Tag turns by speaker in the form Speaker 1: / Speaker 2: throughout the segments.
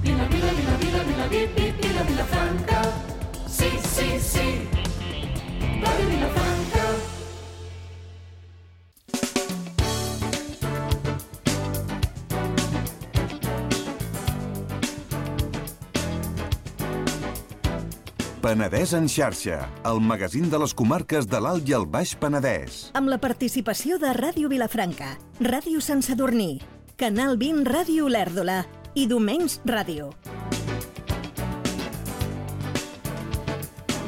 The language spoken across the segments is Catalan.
Speaker 1: Vila, vila, vila, vila, vila, vila, Vilafranca. Sí, sí, sí. Ràdio Vilafranca.
Speaker 2: Penedès en xarxa, el magazín de les comarques de l'Alt i el Baix Penedès.
Speaker 3: Amb la participació de Ràdio Vilafranca, Ràdio Sant Sadurní, Canal 20 Ràdio Olèrdola i Domenys Ràdio.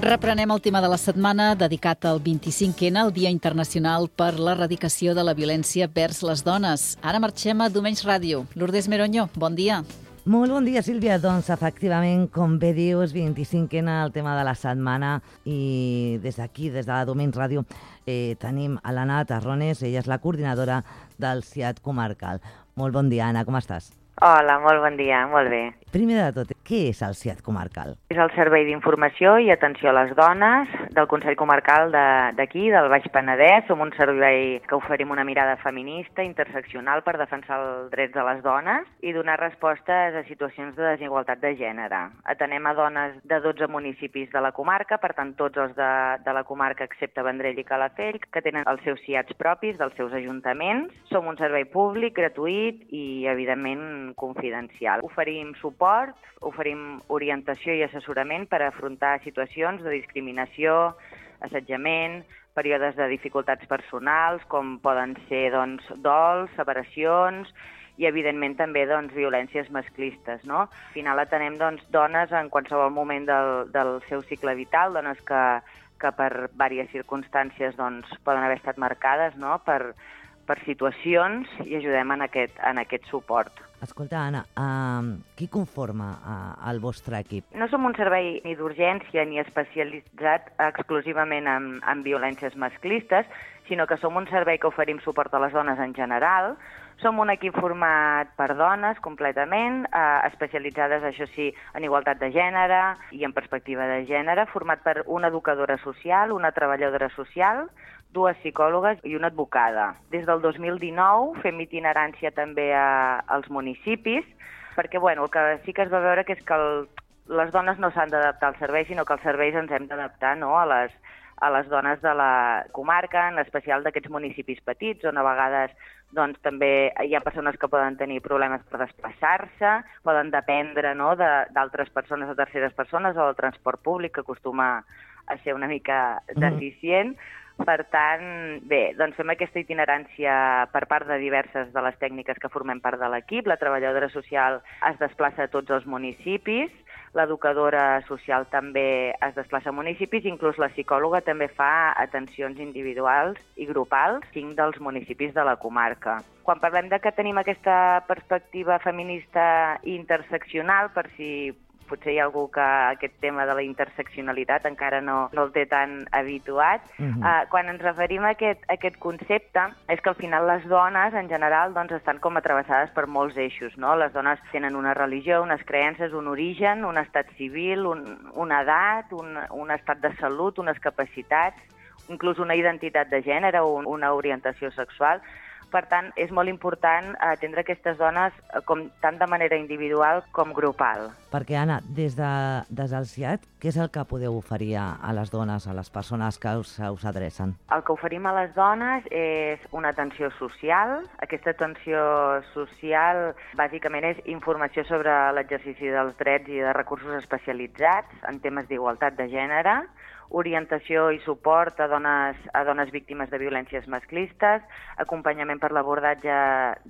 Speaker 4: Reprenem el tema de la setmana dedicat al 25N, el Dia Internacional per l'Erradicació de la Violència vers les Dones. Ara marxem a Domenys Ràdio. Lourdes Meroño, bon dia.
Speaker 5: Molt bon dia, Sílvia. Doncs, efectivament, com bé dius, 25N, el tema de la setmana, i des d'aquí, des de Domenys Ràdio, tenim a l'Anna Tarrones, ella és la coordinadora del CIAT comarcal. Molt bon dia, Anna, com estàs?
Speaker 6: Hola, molt bon dia, molt bé.
Speaker 5: Primer de tot, què és el CIAT comarcal?
Speaker 6: És el Servei d'Informació i Atenció a les Dones del Consell Comarcal d'aquí, del Baix Penedès. Som un servei que oferim una mirada feminista, interseccional, per defensar els drets de les dones i donar respostes a situacions de desigualtat de gènere. Atenem a dones de 12 municipis de la comarca, per tant, tots els de la comarca, excepte Vendrell i Calafell, que tenen els seus CIATs propis, dels seus ajuntaments. Som un servei públic, gratuït i, evidentment, confidencial. Oferim suport, oferim orientació i assessorament per afrontar situacions de discriminació, assetjament, períodes de dificultats personals, com poden ser dols, separacions i, evidentment, també violències masclistes. No? Al final atenem dones en qualsevol moment del seu cicle vital, dones que per diverses circumstàncies poden haver estat marcades, no? per situacions, i ajudem en aquest suport.
Speaker 5: Escolta, Anna, qui conforma el vostre equip?
Speaker 6: No som un servei ni d'urgència ni especialitzat exclusivament en violències masclistes, sinó que som un servei que oferim suport a les dones en general. Som un equip format per dones completament, especialitzades, això sí, en igualtat de gènere i en perspectiva de gènere, format per una educadora social, una treballadora social, 2 psicòlogues i una advocada. Des del 2019 fem itinerància també als municipis, perquè el que sí que es va veure que és que les dones no s'han d'adaptar al servei, sinó que els serveis ens hem d'adaptar, no?, a les dones de la comarca, en especial d'aquests municipis petits, on a vegades també hi ha persones que poden tenir problemes per desplaçar-se, poden dependre, no?, d'altres persones o terceres persones, o del transport públic, que acostuma a ser una mica deficient. Per tant, bé, fem aquesta itinerància per part de diverses de les tècniques que formem part de l'equip. La treballadora social es desplaça a tots els municipis, l'educadora social també es desplaça a municipis, inclús la psicòloga també fa atencions individuals i grupals, 5 dels municipis de la comarca. Quan parlem de que tenim aquesta perspectiva feminista i interseccional, per si potser hi ha algú que aquest tema de la interseccionalitat encara no el té tan habituat. Quan ens referim a aquest concepte, és que al final les dones, en general, estan com atravessades per molts eixos, no? Les dones tenen una religió, unes creences, un origen, un estat civil, una edat, un estat de salut, unes capacitats, inclús una identitat de gènere o una orientació sexual. Per tant, és molt important atendre aquestes dones tant de manera individual com grupal.
Speaker 5: Perquè, Anna, des del CIAT, què és el que podeu oferir a les dones, a les persones que us adrecen?
Speaker 6: El que oferim a les dones és una atenció social. Aquesta atenció social, bàsicament, és informació sobre l'exercici dels drets i de recursos especialitzats en temes d'igualtat de gènere, orientació i suport a dones víctimes de violències masclistes, acompanyament per l'abordatge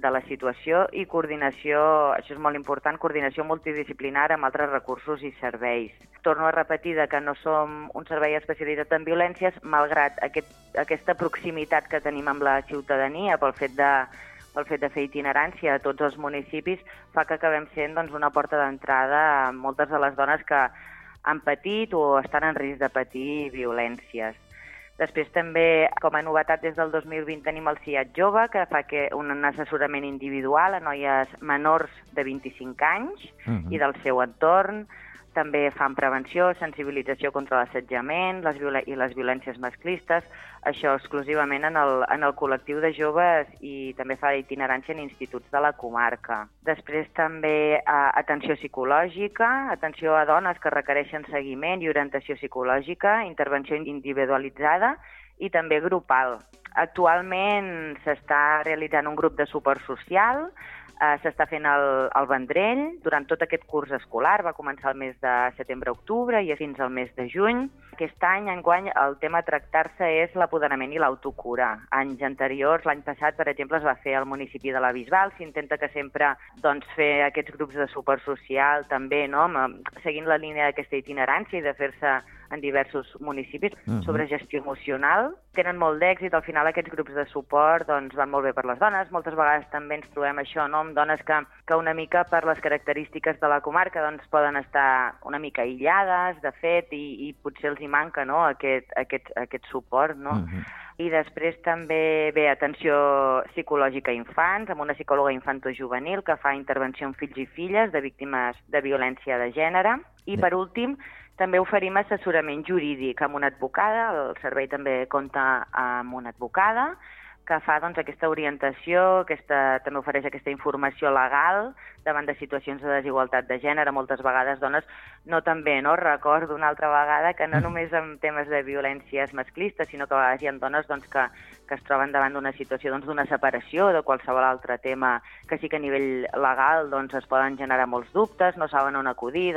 Speaker 6: de la situació i coordinació, això és molt important, coordinació multidisciplinar amb altres recursos i serveis. Torno a repetir que no som un servei especialitzat en violències, malgrat aquesta proximitat que tenim amb la ciutadania pel fet de fer itinerància a tots els municipis, fa que acabem sent una porta d'entrada a moltes de les dones que han patit o estan en risc de patir violències. Després també, com a novetat, des del 2020 tenim el CIAT Jove, que fa un assessorament individual a noies menors de 25 anys i del seu entorn. També fan prevenció, sensibilització contra l'assetjament i les violències masclistes, això exclusivament en el col·lectiu de joves, i també fa itinerància en instituts de la comarca. Després també atenció psicològica, atenció a dones que requereixen seguiment i orientació psicològica, intervenció individualitzada i també grupal. Actualment s'està realitzant un grup de suport social, s'està fent al Vendrell durant tot aquest curs escolar, va començar el mes de setembre-octubre i fins al mes de juny. Aquest any, enguany, el tema a tractar-se és l'apoderament i l'autocura. Anys anteriors, l'any passat, per exemple, es va fer al municipi de la Bisbal. S'intenta que sempre fer aquests grups de suport social també, no? Seguint la línia d'aquesta itinerància i de fer-se en diversos municipis sobre gestió emocional. Tenen molt d'èxit, al final aquests grups de suport van molt bé per les dones. Moltes vegades també ens trobem això, no? Amb dones que una mica per les característiques de la comarca poden estar una mica aïllades, de fet, i potser els hi manca, no? aquest suport, no? I després també ve atenció psicològica a infants, amb una psicòloga infantojuvenil que fa intervenció en fills i filles de víctimes de violència de gènere. I per últim, també oferim assessorament jurídic amb una advocada, el servei també compta amb una advocada, que fa aquesta orientació, també ofereix aquesta informació legal davant de situacions de desigualtat de gènere. Moltes vegades dones noten bé, no? Recordo una altra vegada que no només en temes de violències masclistes, sinó que a vegades hi ha dones que es troben davant d'una situació d'una separació o de qualsevol altre tema que sí que a nivell legal es poden generar molts dubtes, no saben on acudir,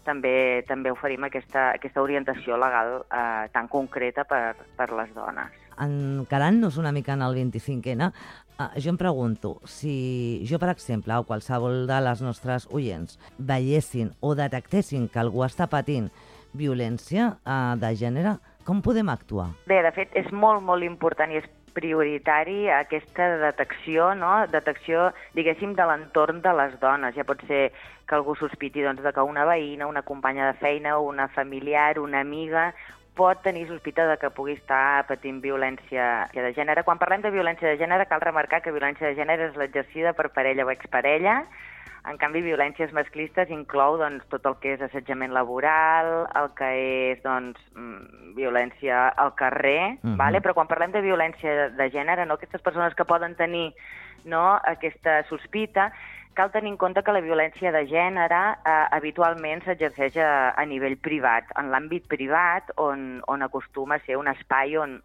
Speaker 6: també oferim aquesta orientació legal tan concreta per les dones.
Speaker 5: Encarant-nos una mica en el 25N, jo em pregunto, si jo, per exemple, o qualsevol de les nostres oients veiessin o detectessin que algú està patint violència de gènere, com podem actuar?
Speaker 6: Bé, de fet, és molt, molt important i és prioritari aquesta detecció, no? Detecció, diguéssim, de l'entorn de les dones. Ja pot ser que algú sospiti de que una veïna, una companya de feina, una familiar, una amiga pot tenir sospita de que pugui estar patint violència de gènere. Quan parlem de violència de gènere, cal remarcar que violència de gènere és l'exercida per parella o exparella. En canvi, violències masclistes inclou tot el que és assetjament laboral, el que és violència al carrer, vale? Però quan parlem de violència de gènere, aquestes persones que poden tenir aquesta sospita, cal tenir en compte que la violència de gènere habitualment s'exerceix a nivell privat, en l'àmbit privat, on acostuma a ser un espai on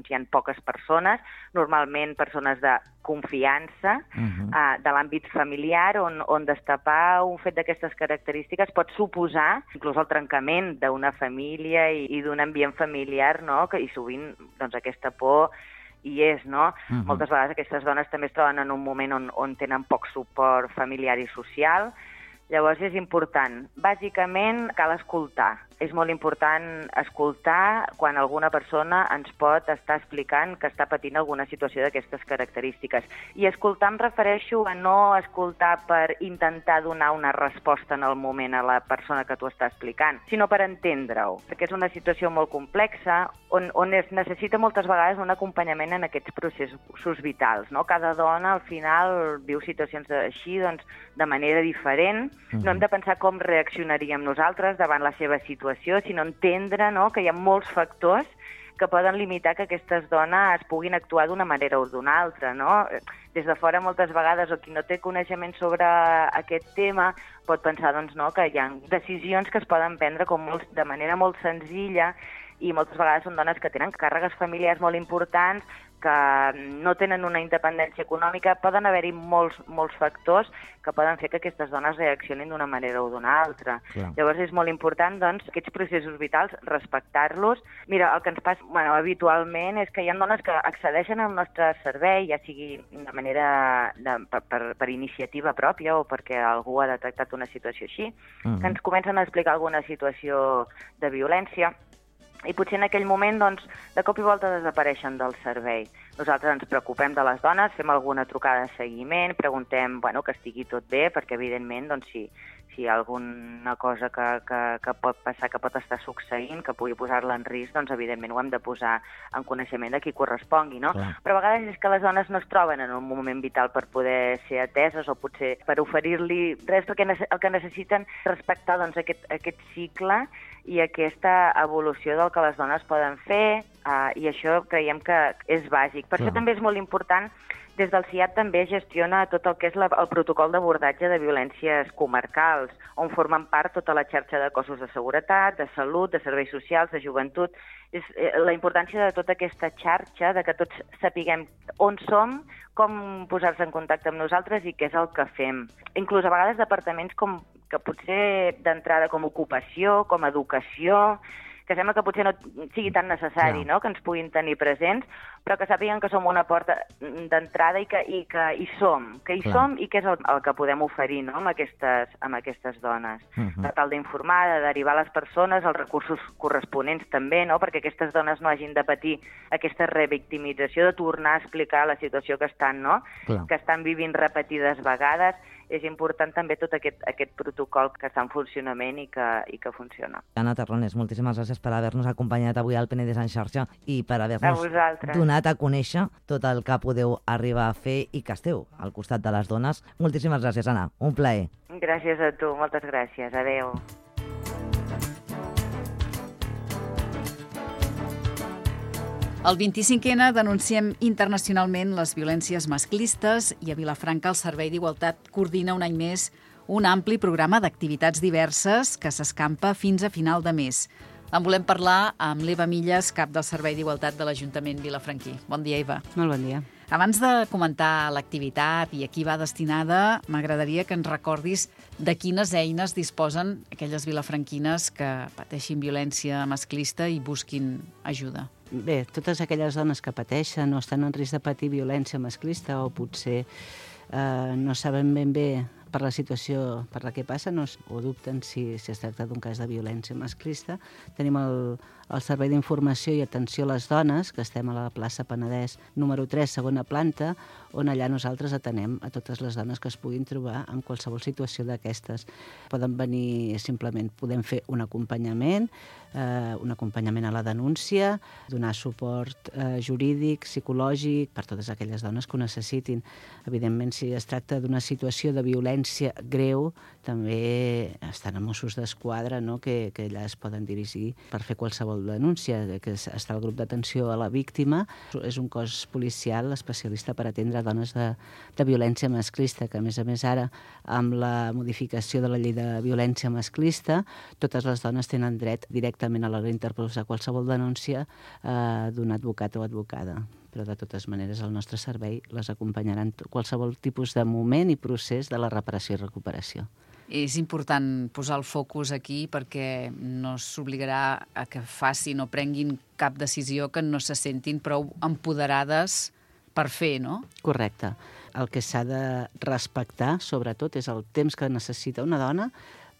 Speaker 6: hi ha poques persones, normalment persones de confiança, de l'àmbit familiar, on destapar un fet d'aquestes característiques pot suposar inclús el trencament d'una família i d'un ambient familiar, i sovint aquesta por hi és, no? Moltes vegades aquestes dones també es troben en un moment on tenen poc suport familiar i social. Llavors és important. Bàsicament cal escoltar. És molt important escoltar quan alguna persona ens pot estar explicant que està patint alguna situació d'aquestes característiques. I escoltar em refereixo a no escoltar per intentar donar una resposta en el moment a la persona que t'ho està explicant, sinó per entendre-ho, perquè és una situació molt complexa on es necessita moltes vegades un acompanyament en aquests processos vitals, no? Cada dona al final viu situacions així de manera diferent. No hem de pensar com reaccionaríem nosaltres davant la seva situació, sinó entendre que hi ha molts factors que poden limitar que aquestes dones puguin actuar d'una manera o d'una altra, no? Des de fora, moltes vegades, o qui no té coneixement sobre aquest tema, pot pensar que hi ha decisions que es poden prendre de manera molt senzilla, i moltes vegades són dones que tenen càrregues familiars molt importants, que no tenen una independència econòmica. Poden haver-hi molts factors que poden fer que aquestes dones reaccionin d'una manera o d'una altra. Clar. Llavors és molt important, aquests processos vitals, respectar-los. Mira, el que ens passa habitualment és que hi ha dones que accedeixen al nostre servei, ja sigui de manera per iniciativa pròpia o perquè algú ha detectat una situació així, que ens comencen a explicar alguna situació de violència, i potser en aquell moment, de cop i volta desapareixen del servei. Nosaltres ens preocupem de les dones, fem alguna trucada de seguiment, preguntem que estigui tot bé, perquè evidentment si hi ha alguna cosa que pot passar, que pot estar succeint, que pugui posar-la en risc, doncs evidentment ho hem de posar en coneixement de qui correspongui, no?
Speaker 5: Clar.
Speaker 6: Però a vegades és que les dones no es troben en un moment vital per poder ser ateses o potser per oferir-li res, perquè el que necessiten és respectar aquest cicle i aquesta evolució del que les dones poden fer, i això creiem que és bàsic. Per això també és molt important. Des del CIAT també gestiona tot el que és el protocol d'abordatge de violències comarcals, on formen part tota la xarxa de cossos de seguretat, de salut, de serveis socials, de joventut. És la importància de tota aquesta xarxa, de que tots sapiguem on som, com posar-se en contacte amb nosaltres i què és el que fem. Inclús a vegades departaments que potser d'entrada com ocupació, com educació, que sembla que potser no sigui tan necessari, no?, que ens puguin tenir presents, però que sàpiguen que som una porta d'entrada i que hi som, i què és el que podem oferir, no?, amb aquestes dones. Per tal d'informar, de derivar les persones als recursos corresponents també, no?, perquè aquestes dones no hagin de patir aquesta revictimització, de tornar a explicar la situació que estan, no?, que estan vivint repetides vegades. És important també tot aquest protocol que està en funcionament i que funciona.
Speaker 5: Anna Terrones, moltíssimes gràcies per haver-nos acompanyat avui al Penedès en xarxa i per haver-nos donat a conèixer tot el que podeu arribar a fer i que esteu al costat de les dones. Moltíssimes gràcies, Anna. Un plaer.
Speaker 6: Gràcies a tu, moltes gràcies. Adéu.
Speaker 4: El 25N denunciem internacionalment les violències masclistes i a Vilafranca el Servei d'Igualtat coordina un any més un ampli programa d'activitats diverses que s'escampa fins a final de mes. En volem parlar amb l'Eva Millas, cap del Servei d'Igualtat de l'Ajuntament vilafranquí. Bon dia, Eva.
Speaker 7: Molt bon dia.
Speaker 4: Abans de comentar l'activitat i a qui va destinada, m'agradaria que ens recordis de quines eines disposen aquelles vilafranquines que pateixin violència masclista i busquin ajuda.
Speaker 7: Bé, totes aquelles dones que pateixen o estan en risc de patir violència masclista o potser no saben ben bé per la situació per la que passen o dubten si es tracta d'un cas de violència masclista, tenim el Servei d'Informació i Atenció a les Dones, que estem a la plaça Penedès número 3, segona planta, on allà nosaltres atenem a totes les dones que es puguin trobar en qualsevol situació d'aquestes. Poden venir simplement, podem fer un acompanyament a la denúncia, donar suport jurídic, psicològic, per totes aquelles dones que ho necessitin. Evidentment, si es tracta d'una situació de violència greu, també estan a Mossos d'Esquadra, no?, que allà es poden dirigir per fer qualsevol denúncia, que està el grup d'atenció a la víctima. És un cos policial especialista per atendre dones de violència masclista, que a més ara, amb la modificació de la llei de violència masclista, totes les dones tenen dret directament a l'hora d'interposar qualsevol denúncia d'un advocat o advocada. Però de totes maneres el nostre servei les acompanyarà en qualsevol tipus de moment i procés de la reparació i recuperació.
Speaker 4: És important posar el focus aquí perquè no s'obligarà a que facin o prenguin cap decisió que no se sentin prou empoderades per fer, no?
Speaker 7: Correcte. El que s'ha de respectar, sobretot, és el temps que necessita una dona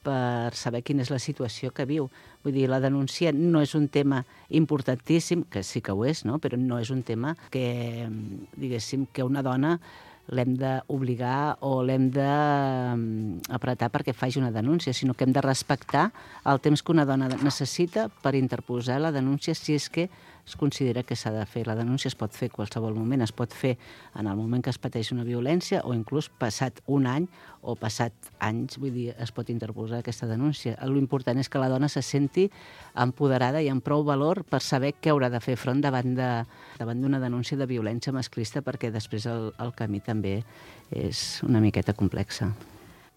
Speaker 7: per saber quina és la situació que viu. Vull dir, la denúncia no és un tema importantíssim, que sí que ho és, no?, però no és un tema que, diguéssim, que una dona l'hem d'obligar o l'hem d'apretar perquè faci una denúncia, sinó que hem de respectar el temps que una dona necessita per interposar la denúncia si és que es considera que s'ha de fer. La denúncia es pot fer en qualsevol moment, es pot fer en el moment que es pateix una violència o inclús passat un any o passat anys, vull dir, es pot interposar aquesta denúncia. L'important és que la dona se senti empoderada i amb prou valor per saber què haurà de fer front davant d'una denúncia de violència masclista, perquè després el camí també és una miqueta complexa.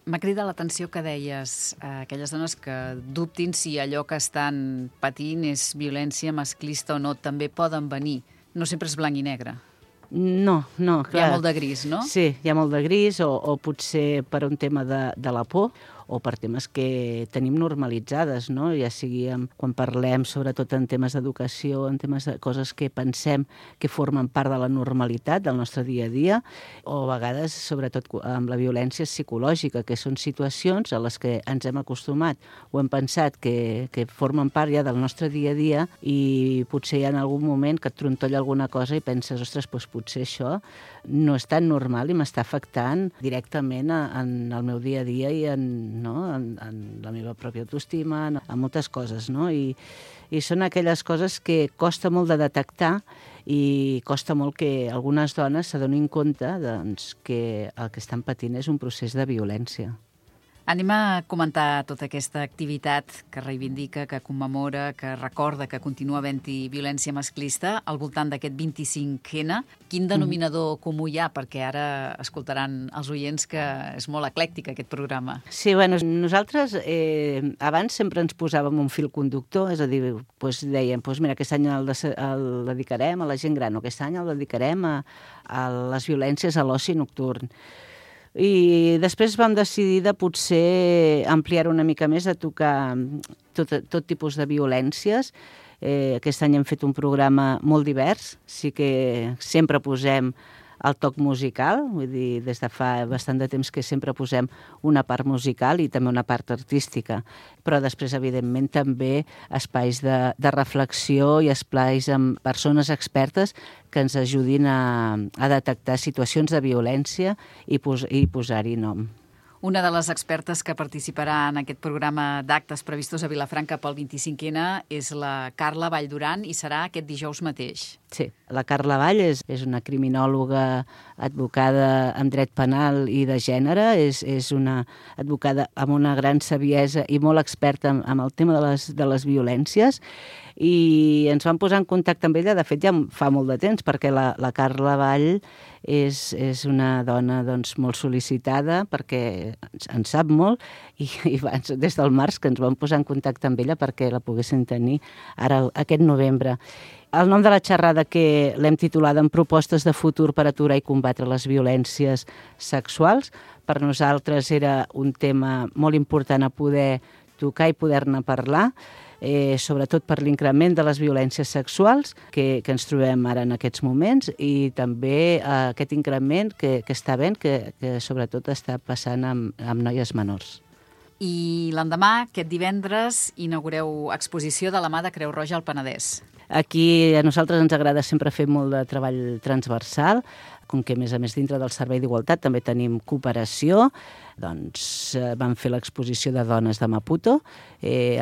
Speaker 4: M'ha cridat l'atenció que deies aquelles dones que dubtin si allò que estan patint és violència masclista o no, també poden venir. No sempre és blanc i negre.
Speaker 7: No, clar.
Speaker 4: Hi ha molt de gris, no?
Speaker 7: Sí, hi ha molt de gris, o potser per un tema de la por, o per temes que tenim normalitzades, no? Ja sigui quan parlem sobretot en temes d'educació, en temes de coses que pensem que formen part de la normalitat del nostre dia a dia, o a vegades sobretot amb la violència psicològica, que són situacions a les que ens hem acostumat o hem pensat que formen part ja del nostre dia a dia i potser hi ha en algun moment que et trontolla alguna cosa i penses, ostres, doncs potser això no és tan normal i m'està afectant directament en el meu dia a dia i en la meva pròpia autoestima, en moltes coses, no? I són aquelles coses que costa molt de detectar i costa molt que algunes dones s'adonin compte doncs, que el que estan patint és un procés de violència.
Speaker 4: Anem a comentar tota aquesta activitat que reivindica, que commemora, que recorda que continua havent-hi violència masclista al voltant d'aquest 25N. Quin denominador comú hi ha? Perquè ara escoltaran els oients que és molt eclèctic aquest programa.
Speaker 7: Sí, bueno, nosaltres abans sempre ens posàvem un fil conductor, és a dir, doncs dèiem, doncs mira, aquest any el dedicarem a la gent gran, o aquest any el dedicarem a les violències a l'oci nocturn. I després vam decidir de potser ampliar una mica més, de tocar tot tipus de violències. Aquest any hem fet un programa molt divers, sí que sempre posem el toc musical, vull dir, des de fa bastant de temps que sempre posem una part musical i també una part artística, però després, evidentment, també espais de reflexió i espais amb persones expertes que ens ajudin a detectar situacions de violència i posar-hi nom.
Speaker 4: Una de les expertes que participarà en aquest programa d'actes previstos a Vilafranca pel 25N és la Carla Vallduran i serà aquest dijous mateix.
Speaker 7: Sí, la Carla Vall és una criminòloga advocada en dret penal i de gènere, és una advocada amb una gran saviesa i molt experta en el tema de les violències, i ens vam posar en contacte amb ella, de fet ja fa molt de temps, perquè la Carla Vall és una dona doncs, molt sol·licitada, perquè en sap molt, i des del març que ens vam posar en contacte amb ella perquè la poguessin tenir ara aquest novembre. El nom de la xerrada, que l'hem titulat en propostes de futur per aturar i combatre les violències sexuals, per nosaltres era un tema molt important a poder tocar i poder-ne parlar, sobretot per l'increment de les violències sexuals que ens trobem ara en aquests moments, i també aquest increment que està havent, que sobretot està passant amb noies menors.
Speaker 4: I l'endemà, aquest divendres, inaugureu exposició de la mà de Creu Roja al Penedès.
Speaker 7: Aquí a nosaltres ens agrada sempre fer molt de treball transversal, com que a més dintre del Servei d'Igualtat també tenim cooperació, doncs vam fer l'exposició de dones de Maputo.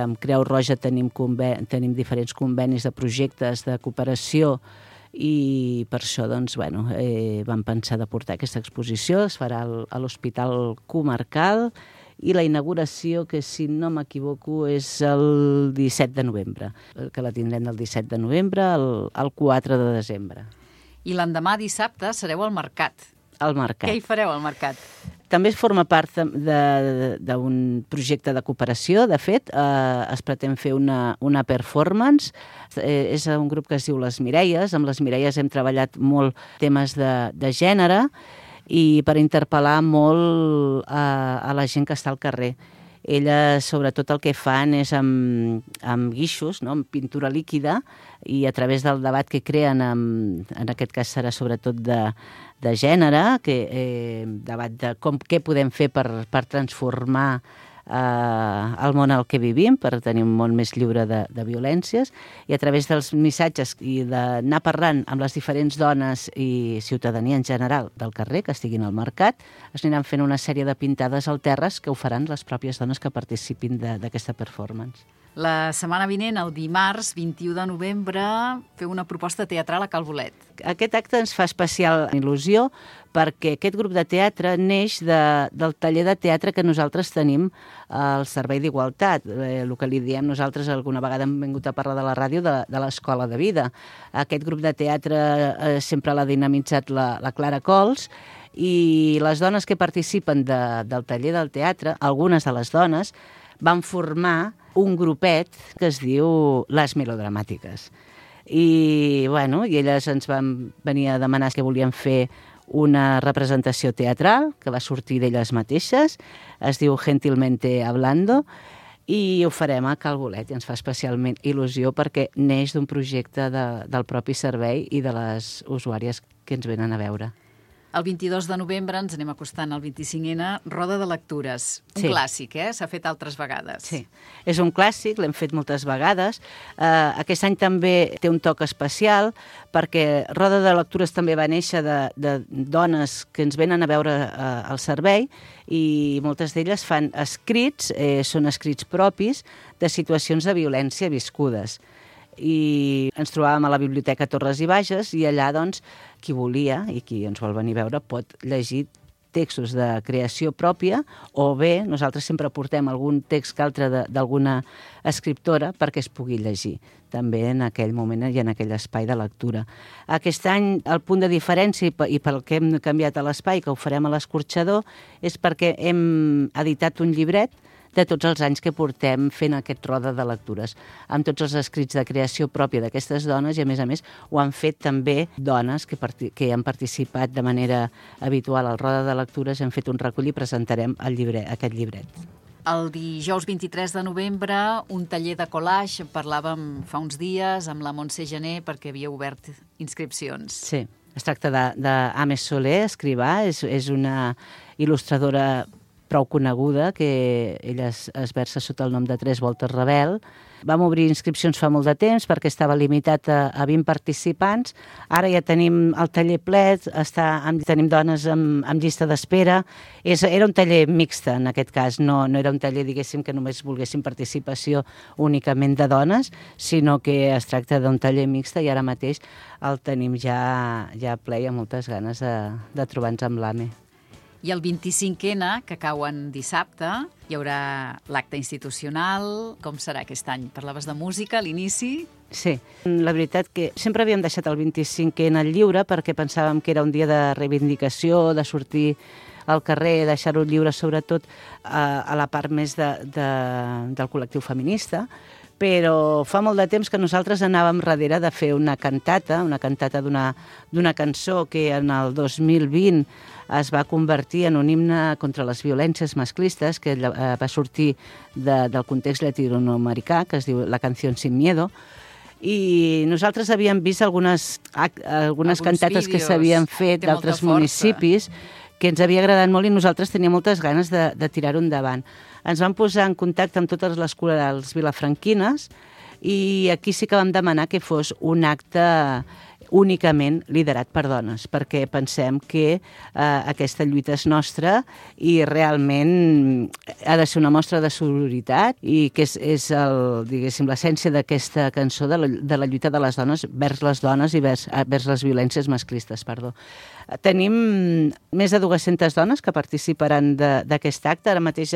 Speaker 7: Amb Creu Roja tenim diferents convenis de projectes de cooperació i per això doncs, vam pensar de portar aquesta exposició. Es farà a l'Hospital Comarcal i la inauguració, que si no m'equivoco és el 17 de novembre, que la tindrem del 17 de novembre al 4 de desembre.
Speaker 4: I l'endemà, dissabte, sereu al mercat.
Speaker 7: Al mercat.
Speaker 4: Què hi fareu al mercat?
Speaker 7: També forma part d'un projecte de cooperació. De fet, es pretén fer una performance. És un grup que es diu Les Mireies. Amb les Mireies hem treballat molt temes de gènere i per interpel·lar molt a la gent que està al carrer. Elles, sobretot, el que fan és amb guixos, no? Amb pintura líquida, i a través del debat que creen, en aquest cas serà sobretot de gènere, debat de què podem fer per transformar el món en el que vivim, per tenir un món més lliure de violències, i a través dels missatges i d'anar parlant amb les diferents dones i ciutadania en general del carrer que estiguin al mercat, es aniran fent una sèrie de pintades al terres que ho faran les pròpies dones que participin d'aquesta performance.
Speaker 4: La setmana vinent, el dimarts 21 de novembre, feu una proposta teatral a Cal Bolet.
Speaker 7: Aquest acte ens fa especial il·lusió perquè aquest grup de teatre neix del taller de teatre que nosaltres tenim al Servei d'Igualtat. El que li diem nosaltres, alguna vegada hem vingut a parlar de la ràdio, de l'Escola de Vida. Aquest grup de teatre sempre l'ha dinamitzat la Clara Cols, i les dones que participen del taller del teatre, algunes de les dones, van formar un grupet que es diu Les Melodramàtiques. I elles ens van venir a demanar que volien fer una representació teatral que va sortir d'elles mateixes, es diu Gentilmente Hablando, i ho farem a Cal Bolet, i ens fa especialment il·lusió perquè neix d'un projecte del propi servei i de les usuàries que ens venen a veure.
Speaker 4: El 22 de novembre ens anem acostant al 25N, Roda de Lectures. Un clàssic, S'ha fet altres vegades.
Speaker 7: Sí, és un clàssic, l'hem fet moltes vegades. Aquest any també té un toc especial perquè Roda de Lectures també va néixer de dones que ens venen a veure al servei i moltes d'elles fan escrits, són escrits propis de situacions de violència viscudes. I ens trobàvem a la Biblioteca Torres i Bages i allà, doncs, qui volia i qui ens vol venir a veure pot llegir textos de creació pròpia o bé nosaltres sempre portem algun text que altre d'alguna escriptora perquè es pugui llegir també en aquell moment i en aquell espai de lectura. Aquest any el punt de diferència i pel que hem canviat a l'espai, que ho farem a l'Escorxador, és perquè hem editat un llibret de tots els anys que portem fent aquest roda de lectures, amb tots els escrits de creació pròpia d'aquestes dones i, a més, ho han fet també dones que han participat de manera habitual al roda de lectures, hem fet un recull i presentarem aquest llibret.
Speaker 4: El dijous 23 de novembre, un taller de collage, parlàvem fa uns dies amb la Montse Gené perquè havia obert inscripcions.
Speaker 7: Sí, es tracta d'Ames Soler, escrivà, és una il·lustradora prou coneguda, que ella es versa sota el nom de Tres Voltes Rebel. Vam obrir inscripcions fa molt de temps perquè estava limitat a 20 participants. Ara ja tenim el taller ple, tenim dones amb llista d'espera. Era un taller mixte, en aquest cas. No era un taller, diguéssim, que només volguéssim participació únicament de dones, sinó que es tracta d'un taller mixte i ara mateix el tenim ja ple i amb moltes ganes de trobar-nos amb l'AME.
Speaker 4: I el 25N, que cau en dissabte, hi haurà l'acte institucional. Com serà aquest any? Parlaves de música a l'inici?
Speaker 7: Sí, la veritat que sempre havíem deixat el 25N lliure perquè pensàvem que era un dia de reivindicació, de sortir al carrer, deixar-ho lliure sobretot a la part més del col·lectiu feminista, però fa molt de temps que nosaltres anàvem darrere de fer una cantata d'una cançó que en el 2020 es va convertir en un himne contra les violències masclistes, que va sortir del context llatinoamericà, que es diu La canción sin miedo, i nosaltres havíem vist algunes cantates que s'havien fet d'altres municipis que ens havia agradat molt i nosaltres teníem moltes ganes de tirar-ho endavant. Ens vam posar en contacte amb totes les corals vilafranquines i aquí sí que vam demanar que fos un acte únicament liderat per dones, perquè pensem que aquesta lluita és nostra i realment ha de ser una mostra de sororitat i que és diguéssim, l'essència d'aquesta cançó de la lluita de les dones vers les dones i vers les violències masclistes, perdó. Tenim més de 200 dones que participaran d'aquest acte. Ara mateix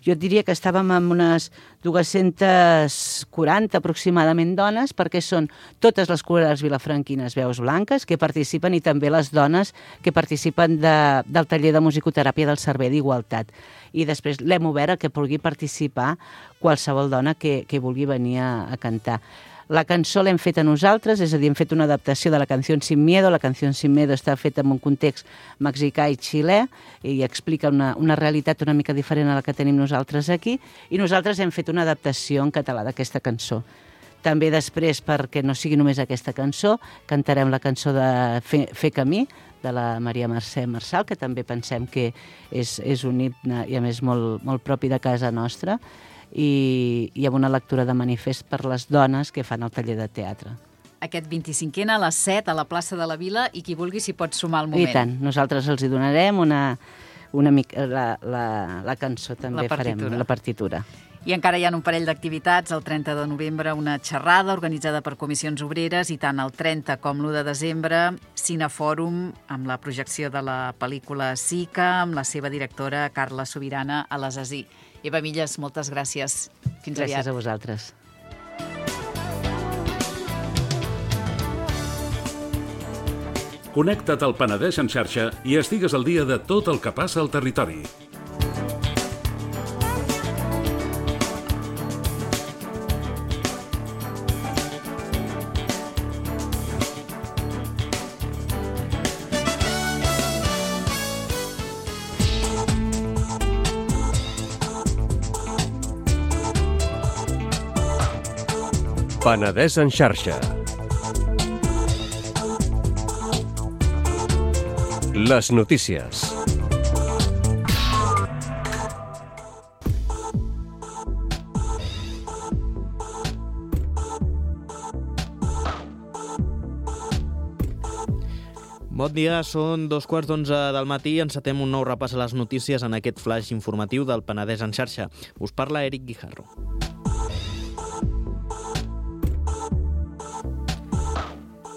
Speaker 7: jo diria que estàvem amb unes 240 aproximadament dones, perquè són totes les corals vilafranquines veus blanques que participen i també les dones que participen del taller de musicoteràpia del Servei d'Igualtat. I després l'hem obert a que pugui participar qualsevol dona que vulgui venir a cantar. La cançó l'hem feta nosaltres, és a dir, hem fet una adaptació de La canción sin miedo. La canción sin miedo està feta en un context mexicà i xilè i explica una realitat una mica diferent a la que tenim nosaltres aquí i nosaltres hem fet una adaptació en català d'aquesta cançó. També després, perquè no sigui només aquesta cançó, cantarem la cançó de Fer camí, de la Maria Mercè Marçal, que també pensem que és un himne i a més molt propi de casa nostra, i amb una lectura de manifest per les dones que fan el taller de teatre.
Speaker 4: Aquest 25N a les 7 a la plaça de la Vila i qui vulgui s'hi pot sumar al moment.
Speaker 7: I tant, nosaltres els hi donarem la cançó, també farem la partitura.
Speaker 4: I encara hi ha un parell d'activitats. El 30 de novembre una xerrada organitzada per comissions obreres i tant el 30 com l'1 de desembre Cinefòrum amb la projecció de la pel·lícula Sica amb la seva directora Carla Sobirana a l'Assassí. Eva Milles, moltes gràcies. Fins aviat.
Speaker 7: Gràcies a vosaltres.
Speaker 8: Connecta't al Penedès en xarxa i estigues al dia de tot el que passa al territori.
Speaker 9: Penedès en xarxa. Les notícies.
Speaker 10: Bon dia, són 2:15 del matí. Encetem un nou repàs a les notícies en aquest flash informatiu del Penedès en xarxa. Us parla Eric Guijarro.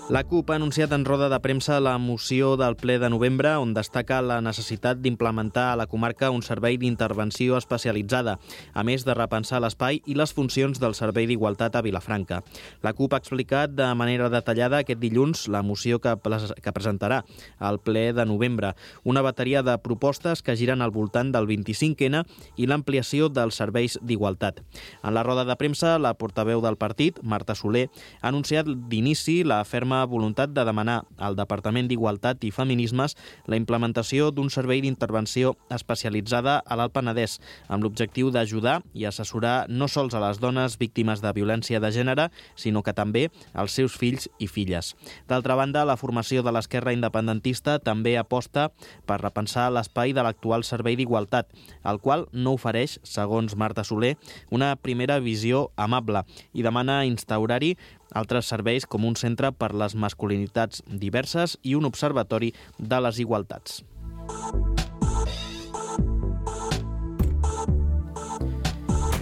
Speaker 10: La CUP ha anunciat en roda de premsa la moció del ple de novembre on destaca la necessitat d'implementar a la comarca un servei d'intervenció especialitzada, a més de repensar l'espai i les funcions del Servei d'Igualtat a Vilafranca. La CUP ha explicat de manera detallada aquest dilluns la moció que presentarà al ple de novembre, una bateria de propostes que giren al voltant del 25N i l'ampliació dels serveis d'igualtat. En la roda de premsa, la portaveu del partit, Marta Soler, ha anunciat d'inici la ferma voluntat de demanar al Departament d'Igualtat i Feminismes la implementació d'un servei d'intervenció especialitzada a l'Alt Penedès, amb l'objectiu d'ajudar i assessorar no sols a les dones víctimes de violència de gènere, sinó que també als seus fills i filles. D'altra banda, la formació de l'esquerra independentista també aposta per repensar l'espai de l'actual Servei d'Igualtat, el qual no ofereix, segons Marta Soler, una primera visió amable i demana instaurar-hi altres serveis com un centre per les masculinitats diverses i un observatori de les igualtats.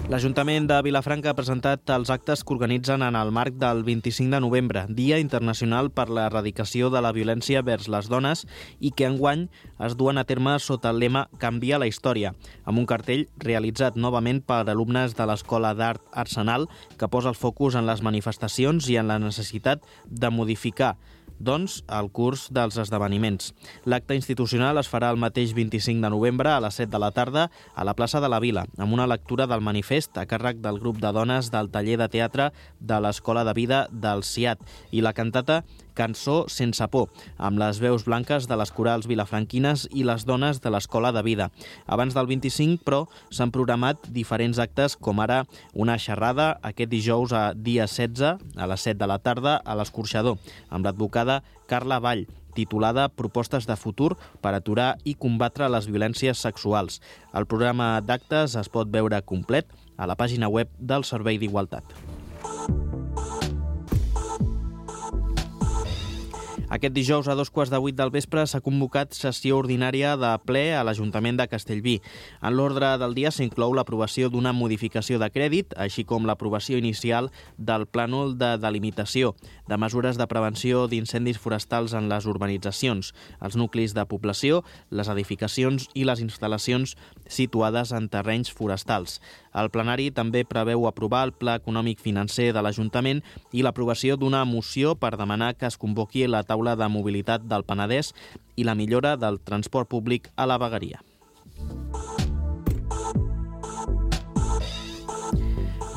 Speaker 10: L'Ajuntament de Vilafranca ha presentat els actes que organitzen en el marc del 25 de novembre, Dia Internacional per l'Erradicació de la Violència vers les Dones, i que enguany es duen a terme sota el lema Canvia la història, amb un cartell realitzat novament per alumnes de l'Escola d'Art Arsenal que posa el focus en les manifestacions i en la necessitat de modificar el curs dels esdeveniments. L'acte institucional es farà el mateix 25 de novembre a les 7 de la tarda a la plaça de la Vila, amb una lectura del manifest a càrrec del grup de dones del taller de teatre de l'Escola de Vida del CIAT i la cantata Cançó sense por, amb les veus blanques de les corals vilafranquines i les dones de l'Escola de Vida. Abans del 25, però, s'han programat diferents actes, com ara una xerrada aquest dijous a dia 16, a les 7 de la tarda, a l'Escorxador, amb l'advocada Carla Vall, titulada Propostes de futur per aturar i combatre les violències sexuals. El programa d'actes es pot veure complet a la pàgina web del Servei d'Igualtat. Aquest dijous a 7:15 del vespre s'ha convocat sessió ordinària de ple a l'Ajuntament de Castellví. En l'ordre del dia s'inclou l'aprovació d'una modificació de crèdit, així com l'aprovació inicial del plànol de delimitació, de mesures de prevenció d'incendis forestals en les urbanitzacions, els nuclis de població, les edificacions i les instal·lacions situades en terrenys forestals. El plenari també preveu aprovar el Pla Econòmic Financer de l'Ajuntament i l'aprovació d'una moció per demanar que es convoqui la taula de mobilitat del Penedès i la millora del transport públic a la vegueria.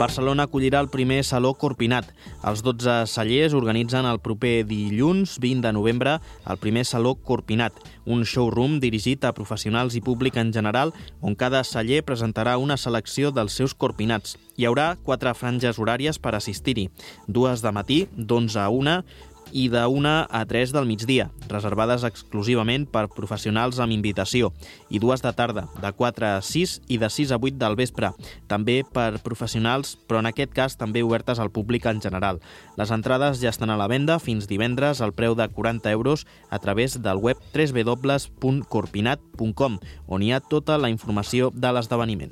Speaker 10: Barcelona acollirà el primer Saló Corpinat. Els 12 cellers organitzen el proper dilluns 20 de novembre el primer Saló Corpinat, un showroom dirigit a professionals i públic en general, on cada celler presentarà una selecció dels seus corpinats. Hi haurà 4 franges horàries per assistir-hi, 2 de matí, d'11 a 1, i de 1 a 3 del migdia, reservades exclusivament per professionals amb invitació, i 2 de tarda, de 4 a 6 i de 6 a 8 del vespre, també per professionals, però en aquest cas també obertes al públic en general. Les entrades ja estan a la venda fins divendres al preu de 40 euros a través del web www.corpinat.com, on hi ha tota la informació de l'esdeveniment.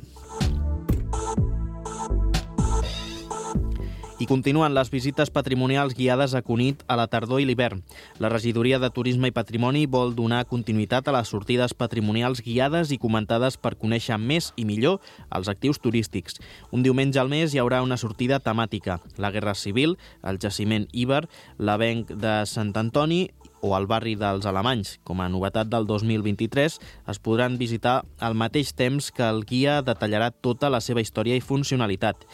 Speaker 10: I continuen les visites patrimonials guiades a Cunit a la tardor i l'hivern. La Regidoria de Turisme i Patrimoni vol donar continuïtat a les sortides patrimonials guiades i comentades per conèixer més i millor els actius turístics. Un diumenge al mes hi haurà una sortida temàtica: la Guerra Civil, el jaciment Iber, l'avenc de Sant Antoni o al barri dels Alemanys. Com a novetat del 2023, es podran visitar al mateix temps que el guia detallarà tota la seva història i funcionalitat.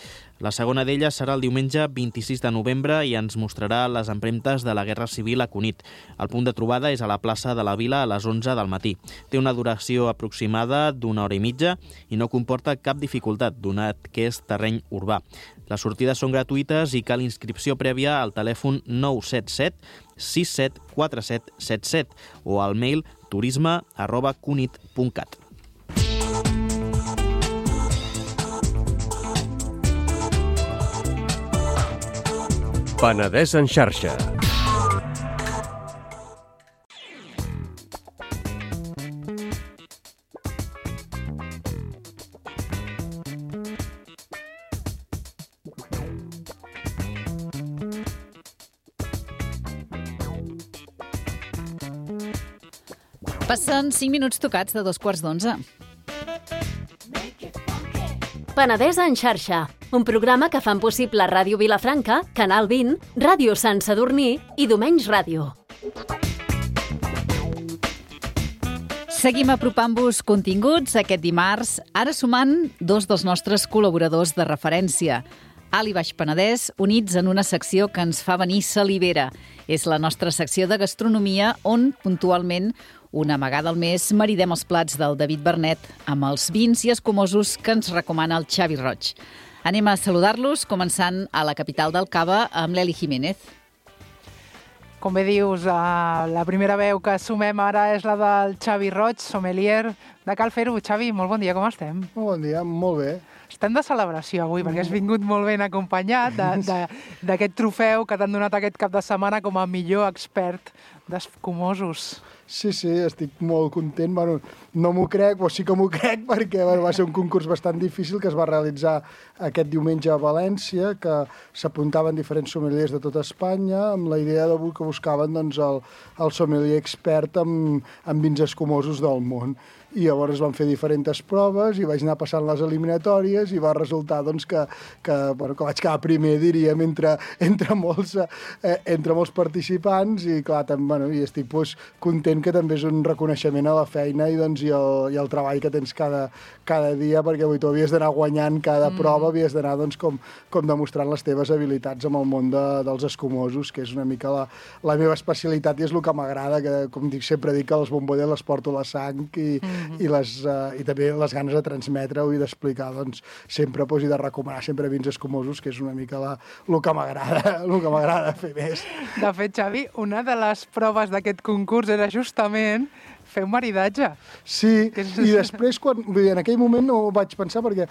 Speaker 10: La segona d'elles serà el diumenge 26 de novembre i ens mostrarà les empremtes de la Guerra Civil a Cunit. El punt de trobada és a la plaça de la Vila a les 11 del matí. Té una duració aproximada d'1 hora i mitja i no comporta cap dificultat, donat que és terreny urbà. Les sortides són gratuïtes i cal inscripció prèvia al telèfon 977 674777 o al mail turisme@cunit.cat.
Speaker 9: Penedès en xarxa.
Speaker 4: Passen 5 minuts tocats de 2:15.
Speaker 11: Penedès en xarxa, un programa que fan possible Ràdio Vilafranca, Canal 20, Ràdio Sant Sadurní i Domenys Ràdio.
Speaker 4: Seguim apropant-vos continguts aquest dimarts, ara sumant dos dels nostres col·laboradors de referència. Alt i Baix Penedès, units en una secció que ens fa venir salivera. És la nostra secció de gastronomia on, puntualment, una vegada al mes maridem els plats del David Bernet amb els vins i escumosos que ens recomana el Xavi Roig. Anem a saludar-los, començant a la capital del Cava amb l'Eli Jiménez.
Speaker 12: Com bé dius, la primera veu que sumem ara és la del Xavi Roig, sommelier de Cal Fer-ho. Xavi, molt bon dia, com estem?
Speaker 13: Molt bon dia, molt bé.
Speaker 12: Estem de celebració avui, perquè has vingut molt ben acompanyat d'aquest trofeu que t'han donat aquest cap de setmana com a millor expert d'escumosos.
Speaker 13: Sí, estic molt content. Bueno, no m'ho crec, però sí que m'ho crec, perquè va ser un concurs bastant difícil que es va realitzar aquest diumenge a València, que s'apuntaven diferents sommeliers de tota Espanya, amb la idea que buscaven doncs, el sommelier expert en vins escumosos del món. I llavors van fer diferents proves i vaig anar passant les eliminatòries i va resultar doncs, que vaig quedar primer, diríem, entre molts participants i clar, i estic content que també és un reconeixement a la feina i el treball que tens cada dia, perquè tu havies d'anar guanyant cada prova, havies d'anar com demostrant les teves habilitats amb el món dels escumosos, que és una mica la meva especialitat i és el que m'agrada, que com sempre dic que les bombolles les porto a la sang i també les ganes de transmetre-ho i d'explicar sempre i de recomanar sempre vins escumosos, que és una mica el que m'agrada fer més.
Speaker 12: De fet, Xavi, una de les proves d'aquest concurs era justament fer un maridatge.
Speaker 13: Sí, i després, en aquell moment no ho vaig pensar perquè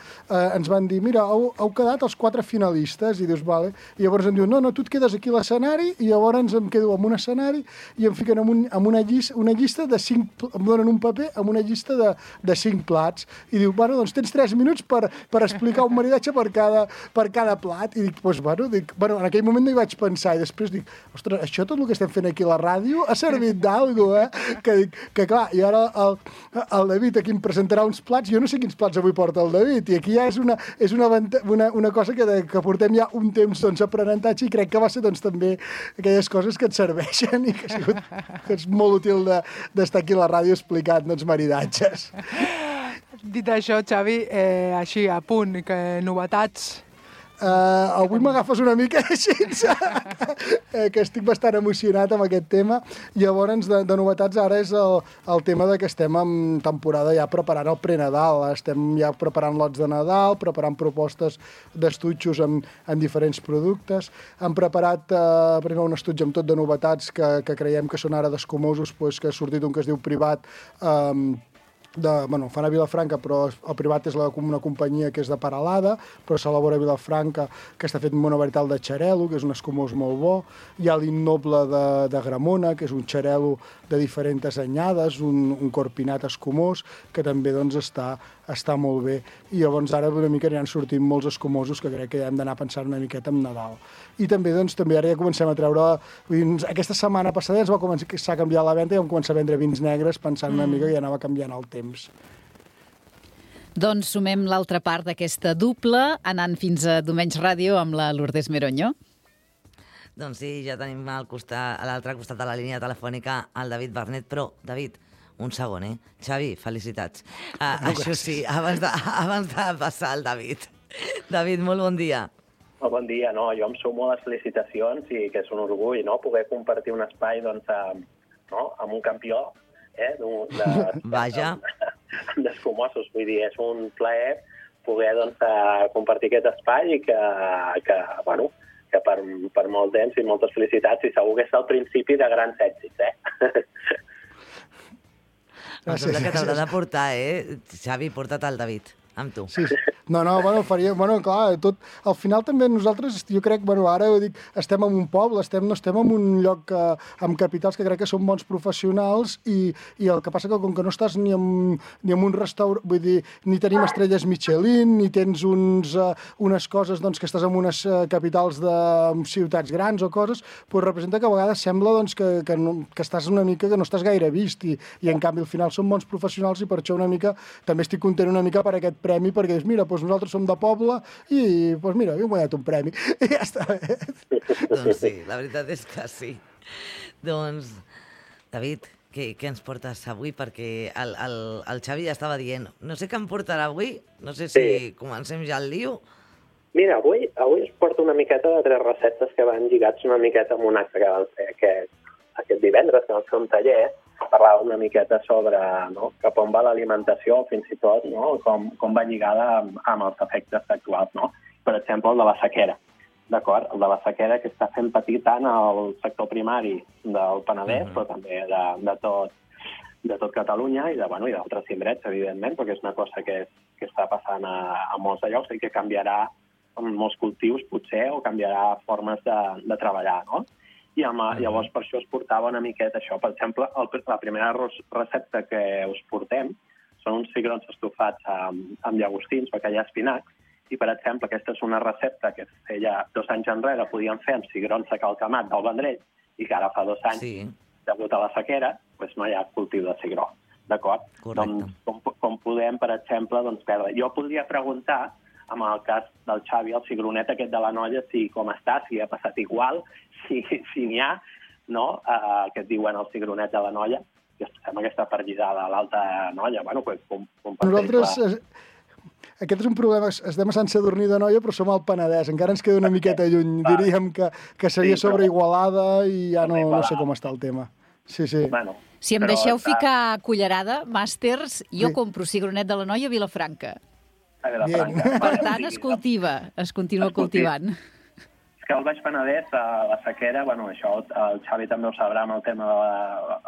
Speaker 13: ens van dir, mira, heu quedat els 4 finalistes, i dius, vale, i llavors em diuen, no, tu et quedes aquí a l'escenari, i llavors em quedo en un escenari i em fiquen amb una llista de 5, em donen un paper amb una llista de 5 plats, i diu, bueno, doncs tens 3 minuts per explicar un maridatge per cada plat, i dic, bueno, en aquell moment no hi vaig pensar, i després dic, ostres, això tot el que estem fent aquí a la ràdio ha servit d'alguna cosa, que clar, i ara el David aquí em presentarà uns plats, jo no sé quins plats avui porta el David, i aquí ja és una cosa que portem ja un temps aprenentatge i crec que va ser també aquelles coses que et serveixen i que és molt útil d'estar aquí a la ràdio explicant maridatges.
Speaker 12: Dit això, Xavi, així a punt, novetats...
Speaker 13: Avui m'agafes una mica així, que estic bastant emocionat amb aquest tema. Llavors, de novetats, ara és el tema que estem en temporada ja preparant el pre-Nadal. Estem ja preparant lots de Nadal, preparant propostes d'estutxos en diferents productes. Hem preparat primer un estuig amb tot de novetats que creiem que són ara d'escumosos, que ha sortit un que es diu Privat, fan a Vilafranca, però el Privat és una companyia que és de Peralada, però s'elabora a Vilafranca, que està fet amb una varietat de xarel·lo, que és un escumós molt bo. Hi ha l'Innoble de Gramona, que és un xarel·lo de diferents anyades, un corpinat escumós, que també està molt bé. I llavors ara una mica aniran sortint molts escumosos que crec que ja hem d'anar pensant una miqueta en Nadal. I també ara ja comencem a treure... Aquesta setmana passada ja s'ha canviat la venda i vam començar a vendre vins negres pensant una mica que ja anava canviant el temps.
Speaker 4: Doncs sumem l'altra part d'aquesta dupla, anant fins a Domenys Ràdio amb la Lourdes Meroño.
Speaker 5: Doncs sí, ja tenim a l'altre costat de la línia telefònica el David Bernet, però, David, un segon, Xavi, felicitats. Això sí, abans de passar al David. David, molt bon dia.
Speaker 14: Bon dia, jo em sumo a les felicitacions i que és un orgull, poder compartir un espai amb un campió
Speaker 5: Vaja.
Speaker 14: d'escumosos. Vull dir, és un plaer poder doncs, compartir aquest espai i que per molt temps i moltes felicitats i segur que és el principi de grans èxits,
Speaker 5: Em sembla que t'haurà de portar, Xavi, porta't el David, amb tu.
Speaker 13: Sí. No, faria... clar, tot... Al final també nosaltres, jo crec, ara ho dic, estem en un poble, no estem en un lloc amb capitals que crec que són bons professionals i el que passa que com que no estàs ni en un restaurant, vull dir, ni tenim estrelles Michelin, ni tens unes coses, doncs, que estàs en unes capitals de ciutats grans o coses, doncs representa que a vegades sembla doncs, que estàs una mica, que no estàs gaire vist i en canvi al final són bons professionals i per això una mica, també estic content una mica per aquest premi, perquè és, mira, nosaltres som de poble i, mira, hem guanyat un premi. I ja està bé.
Speaker 5: Doncs sí, la veritat és que sí. Doncs, David, què ens portes avui? Perquè el Xavi ja estava dient, no sé què em portarà avui, no sé si comencem ja el lío.
Speaker 14: Mira, avui us porto una miqueta de 3 receptes que van lligats una miqueta amb un acte que van fer aquest divendres, que van fer un taller, parlava una miqueta sobre cap on va l'alimentació, fins i tot com va lligada amb els efectes actuals. Per exemple, el de la sequera. D'acord? El de la sequera que està fent patir tant el sector primari del Penedès, però també de tot Catalunya i d'altres indrets, evidentment, perquè és una cosa que està passant a molts de llocs i que canviarà en molts cultius, potser, o canviarà formes de treballar, no? I llavors per això us portava una miqueta això. Per exemple, la primera recepta que us portem són uns cigrons estofats amb llagostins, perquè hi ha espinacs, i per exemple aquesta és una recepta que feia 2 anys enrere podíem fer amb cigrons de calcamat del Vendrell i que ara fa 2 anys, degut a la sequera, doncs no hi ha cultiu de cigró. D'acord? Doncs, com podem, per exemple, perdre. Jo podria preguntar, amb el cas del Xavi, el cigronet aquest de la Noia, si com està, si ha passat igual, si n'hi ha, que et diuen el cigronet de la Noia, que estem aquesta perllidada a l'Alta Noia.
Speaker 13: Nosaltres, aquest és un problema, estem a Sant Sadurní de Noia, però som al Penedès, encara ens queda una miqueta lluny, diríem que seria sobre Igualada i ja no sé com està el tema. Sí.
Speaker 4: Si em deixeu ficar cullerada, màsters, jo compro cigronet de la Noia a Vilafranca. Per tant, es continua cultivant.
Speaker 14: És que al Baix Penedès, la sequera, això el Xavi també ho sabrà amb el tema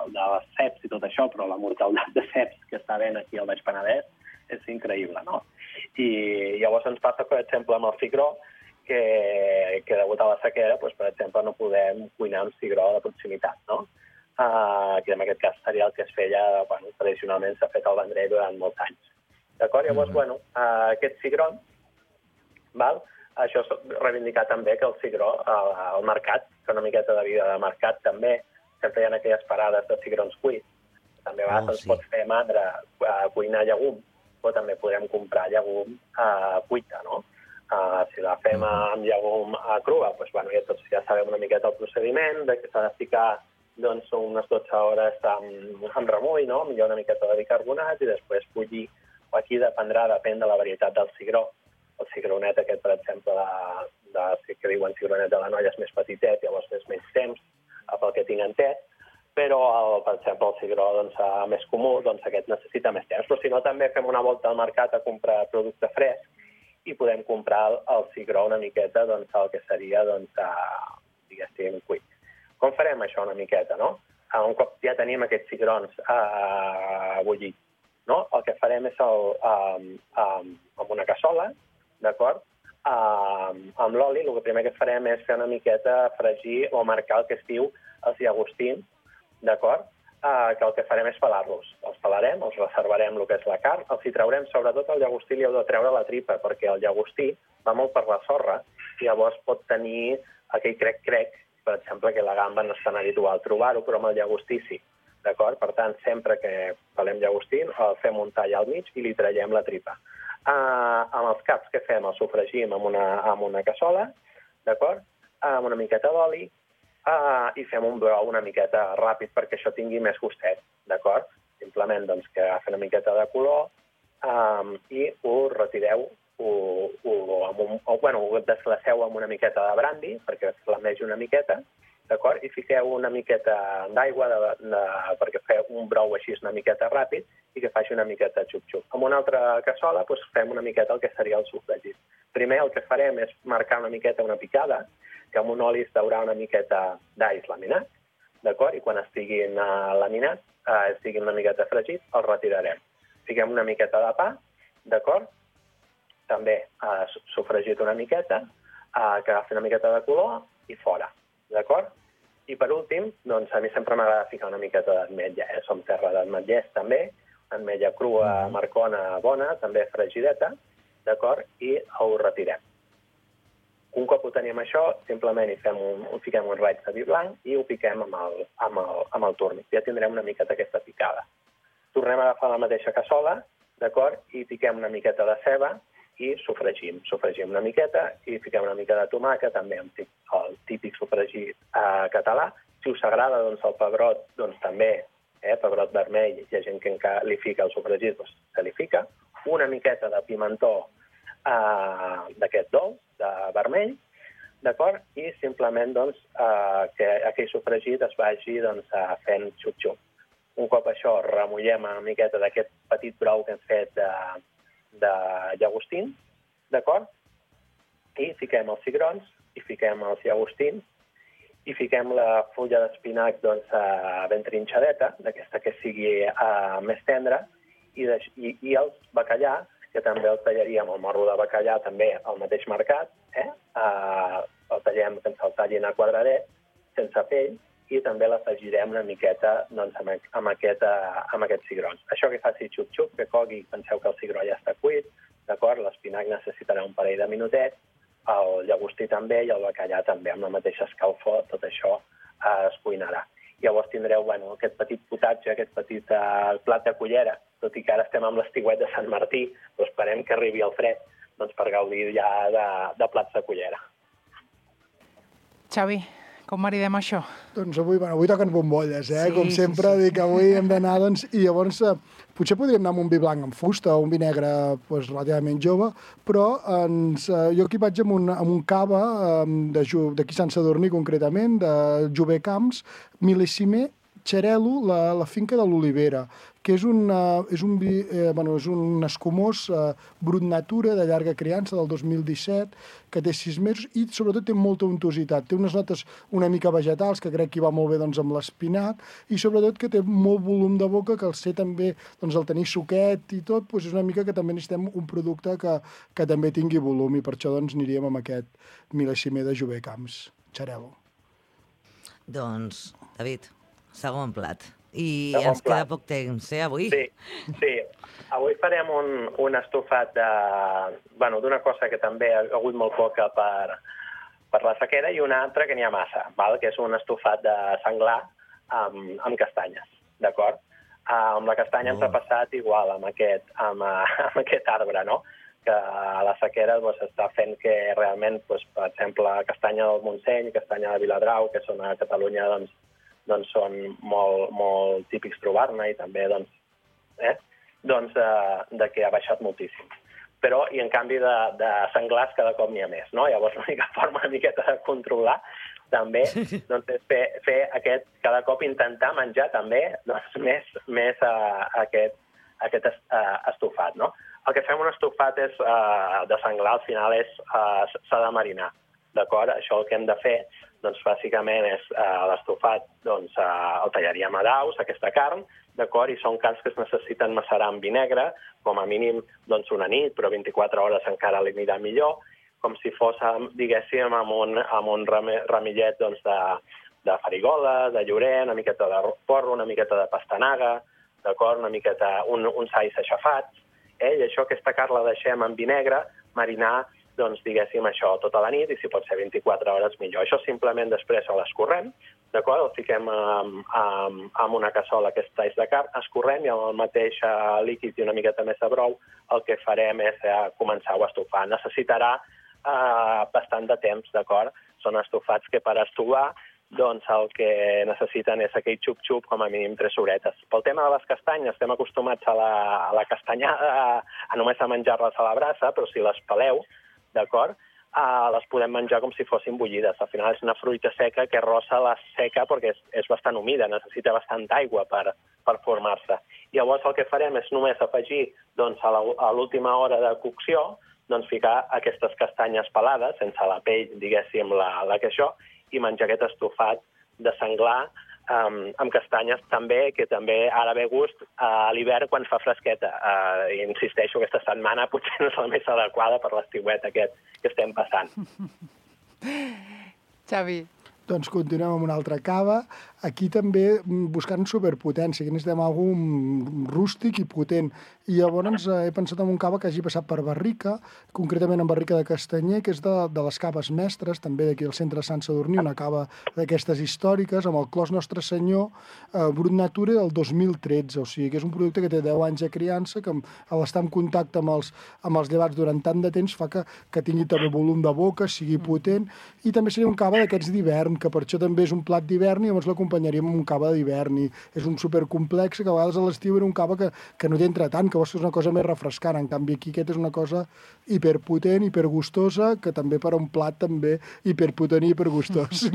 Speaker 14: de les ceps i tot això, però la mortalitat de ceps que està havent aquí al Baix Penedès és increïble, no? I llavors ens passa, per exemple, amb el cigró, que degut a la sequera, per exemple, no podem cuinar un cigró de proximitat, no? Que en aquest cas seria el que es feia, tradicionalment s'ha fet al Vendrell durant molts anys. D'acord? Llavors, aquest cigró, això és reivindicar també que el cigró, al mercat, que una miqueta de vida de mercat també, sempre hi ha aquelles parades de cigrons cuits. També a vegades ens pot fer mandra cuinar llegum, però també podrem comprar llegum cuita, no? Si la fem amb llegum crua, doncs ja sabem una miqueta el procediment, que s'ha de ficar unes 12 hores amb remull, millor una miqueta de bicarbonat i després bullir. Aquí depèn de la varietat del cigró. El cigronet aquest, per exemple, que diuen cigronet de la Noia és més petitet, llavors és menys temps, pel que tinc entès, però, per exemple, el cigró més comú, aquest necessita més temps. Però si no, també fem una volta al mercat a comprar producte fresc i podem comprar el cigró una miqueta, el que seria, diguéssim, cuit. Com farem això una miqueta, no? Un cop ja tenim aquests cigrons bullits, el que farem és amb una cassola, d'acord? Amb l'oli, el primer que farem és fer una miqueta fregir o marcar el que es diu els llagostins, d'acord? Que el que farem és pelar-los. Els pelarem, els reservarem el que és la carn, els hi traurem, sobretot el llagostí li heu de treure la tripa, perquè el llagostí va molt per la sorra i llavors pot tenir aquell crec-crec, per exemple, que la gamba no és tan habitual trobar-ho, però amb el llagostí sí. D'acord? Per tant, sempre que pelem llagostí, el fem un tall al mig i li traiem la tripa. Amb els caps que fem, els sofregim amb una cassola, d'acord? Amb una miqueta d'oli i fem un brou una miqueta ràpid perquè això tingui més gustet, d'acord? Simplement que agafi una miqueta de color i ho retireu, ho desglaceu amb una miqueta de brandi perquè flamegi una miqueta d'acord? I fiqueu una miqueta d'aigua perquè feu un brou així una miqueta ràpid i que faci una miqueta xup-xup. Amb una altra cassola fem una miqueta el que seria el sofregit. Primer el que farem és marcar una miqueta una picada, que amb un oli es daurà una miqueta d'alls laminat, d'acord? I quan estiguin laminats, estiguin una miqueta fregits, els retirarem. Fiquem una miqueta de pa, d'acord? També sofregit una miqueta, que agafi una miqueta de color i fora, d'acord? I per últim, doncs a mi sempre m'agrada ficar una miqueta d'ametlla, som terra d'ametllers també, ametlla crua, marcona, bona, també fregideta, d'acord? I ho retirem. Un cop ho tenim això, simplement fiquem un raig de vi blanc i ho piquem amb el túrnic. Ja tindrem una miqueta aquesta picada. Tornem a agafar la mateixa cassola, d'acord? I piquem una miqueta de ceba i sofregim. Sofregim una miqueta i fiquem una mica de tomàquet, també el típic sofregit català. Si us agrada doncs, el pebrot, doncs també, pebrot vermell, hi ha gent que li fica el sofregit, doncs se li fica. Una miqueta de pimentó d'aquest dolç, de vermell, d'acord? I simplement doncs, que aquell sofregit es vagi fent xup-xup. Un cop això remullem una miqueta d'aquest petit brou que hem fet de llagostins, d'acord? I fiquem els cigrons, i fiquem els llagostins, i fiquem la fulla d'espinac ben trinxadeta, d'aquesta que sigui més tendra, i el bacallà, que també el tallaríem, el morro de bacallà, també al mateix mercat, el tallem que ens el tallin a quadradet, sense pell, i també l'afegirem una miqueta amb aquests cigrons. Això que faci xup-xup, que cogui, penseu que el cigró ja està cuit, d'acord? L'espinac necessitarà un parell de minutets, el llagostí també i el bacallà també, amb la mateixa escalfor, tot això es cuinarà. Llavors tindreu aquest petit potatge, aquest petit plat de cullera, tot i que ara estem amb l'estiuet de Sant Martí, però esperem que arribi el fred per gaudir ja de plats de cullera.
Speaker 12: Xavi, com maridem això?
Speaker 13: Doncs avui toquen bombolles, com sempre, dic que avui hem d'anar, i llavors potser podríem anar amb un vi blanc amb fusta o un vi negre relativament jove, però jo aquí vaig amb un cava d'aquí Sant Sadurní concretament, de Jover Camps, mil·lesimer Xarel·lo, la finca de l'Olivera, que és un escumós brut natura de llarga criança del 2017, que té 6 mesos i sobretot té molta untositat. Té unes notes una mica vegetals, que crec que va molt bé amb l'espinac, i sobretot que té molt volum de boca, que al ser també, al tenir suquet i tot, és una mica que també necessitem un producte que també tingui volum, i per això aniríem amb aquest mil·lesimer de Jover Camps, Xarel·lo.
Speaker 5: Doncs, David, segon plat. I ens queda poc temps, avui?
Speaker 14: Sí. Avui farem un estofat d'una cosa que també ha hagut molt poca per la sequera i una altra que n'hi ha massa, que és un estofat de senglar amb castanyes, d'acord? Amb la castanya ens ha passat igual amb aquest arbre, no? Que a la sequera està fent que realment, per exemple, castanya del Montseny, castanya de Viladrau, que són a Catalunya, són molt típics trobar-ne i també de que ha baixat moltíssim. Però, i en canvi, de senglars cada cop n'hi ha més, no? Llavors l'única forma una miqueta de controlar també és fer aquest, cada cop intentar menjar també més aquest estofat, no? El que fem un estofat de senglar al final s'ha de marinar, d'acord? Això el que hem de fer bàsicament és l'estofat, el tallaríem a daus, aquesta carn, d'acord? I són carns que es necessiten macerar amb vi negre, com a mínim una nit, però 24 hores encara l'anirà millor, com si fos, diguéssim, amb un ramillet de farigola, de llorer, una miqueta de porro, una miqueta de pastanaga, d'acord? Una miqueta, uns alls aixafats, i això, aquesta carn la deixem en vi negre, marinar, diguéssim, això tota la nit, i si pot ser 24 hores millor. Això simplement després l'escorrem, d'acord? El fiquem en una cassola, aquests talls de carn, escorrem i amb el mateix líquid i una miqueta més de brou el que farem és començar a estofar. Necessitarà bastant de temps, d'acord? Són estofats que per estovar el que necessiten és aquell xup-xup com a mínim 3 horetes. Pel tema de les castanyes, estem acostumats a la castanyada, a només a menjar-les a la brasa, però si les peleu, d'acord? les podem menjar com si fossin bullides. Al final és una fruita seca que rossa la seca perquè és bastant humida, necessita bastanta aigua per formar-se. I llavors el que farem és només afegir a l'última hora de cocció ficar aquestes castanyes pelades, sense la pell, diguéssim, la que això, i menjar aquest estofat de senglar amb castanyes també, que també ara ve gust a l'hivern quan fa fresqueta. Insisteixo, aquesta setmana potser no és la més adequada per l'estiuet aquest que estem passant.
Speaker 12: Xavi.
Speaker 13: Doncs continuem amb una altra cava. Aquí també buscant superpotència, que necessitem algun rústic i potent. I llavors he pensat en un cava que hagi passat per barrica, concretament en barrica de castanyer, que és de les caves mestres, també d'aquí al centre de Sant Sadurní, una cava d'aquestes històriques, amb el clos Nostre Senyor, Brut Nature del 2013. O sigui, que és un producte que té 10 anys de criança, que l'estar en contacte amb els llevats durant tant de temps fa que tingui també volum de boca, sigui potent, i també seria un cava d'aquests d'hivern, que per això també és un plat d'hivern i llavors l'acompanyaríem amb un cava d'hivern. I és un supercomplex que a vegades a l'estiu era un cava que no t'entra tant, que vols fer una cosa més refrescant. En canvi aquí aquest és una cosa hiperpotent, hipergustosa, que també per a un plat també hiperpotent i hipergustós.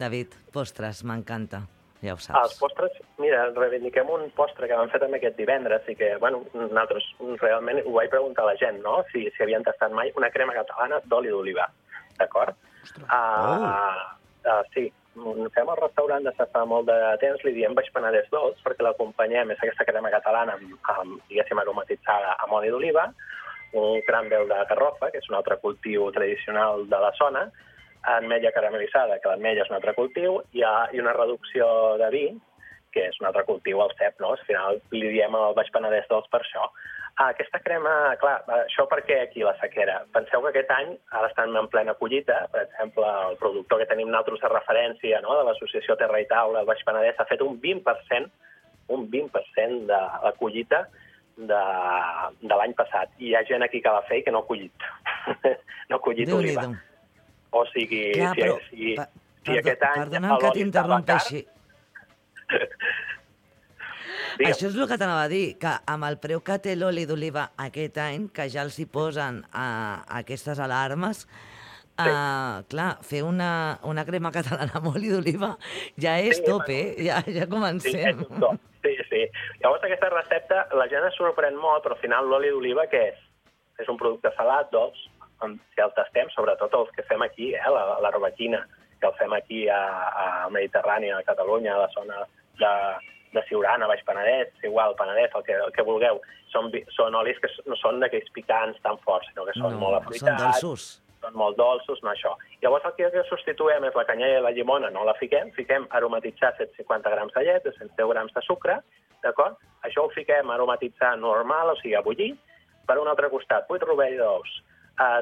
Speaker 5: David, postres, m'encanta. Ja ho saps.
Speaker 14: Els postres, mira, reivindiquem un postre que vam fer també aquest divendres i que, bueno, nosaltres realment ho vaig preguntar a la gent, no?, si havien tastat mai una crema catalana d'oli d'oliva. D'acord? Sí, fem el restaurant des de fa molt de temps, li diem Baix Penedès dolç, perquè l'acompanyem, és aquesta crema catalana diguéssim, aromatitzada amb oli d'oliva, un cràmbel de garrofa, que és un altre cultiu tradicional de la zona, ametlla caramelitzada, que l'ametlla és un altre cultiu, i una reducció de vi, que és un altre cultiu, el cep, no? Al final li diem el Baix Penedès dolç per això. Aquesta crema, clar, això per què aquí la sequera? Penseu que aquest any, ara estan en plena collita, per exemple, el productor que tenim nosaltres de referència, no?, de l'associació Terra i Taula, el Baix Penedès, ha fet un 20% de la collita de l'any passat. I hi ha gent aquí que la fa i que no ha collit. No ha collit oliva. O sigui, si aquest any...
Speaker 5: Perdona'm que t'interrompeixi. Això és el que t'anava a dir, que amb el preu que té l'oli d'oliva aquest any, que ja els hi posen aquestes alarmes, clar, fer una crema catalana amb oli d'oliva ja és top, ja comencem.
Speaker 14: Sí. Llavors aquesta recepta, la gent es sorprèn molt, però al final l'oli d'oliva què és? És un producte salat, dolç, si el tastem, sobretot els que fem aquí, l'arrobaquina, que el fem aquí al Mediterrani, a Catalunya, a la zona de Siurana, Baix Penedès, igual, Penedès, el que vulgueu. Són olis que no són d'aquells picants tan forts, sinó que són molt afruitats.
Speaker 5: Són dolços.
Speaker 14: Són molt dolços, no això. Llavors el que substituïm és la canyella i la llimona, no la fiquem aromatitzar 150 grams de llet, 110 grams de sucre, d'acord? Això ho fiquem a aromatitzar normal, o sigui, a bullir. Per un altre costat, 8 rovell d'ous,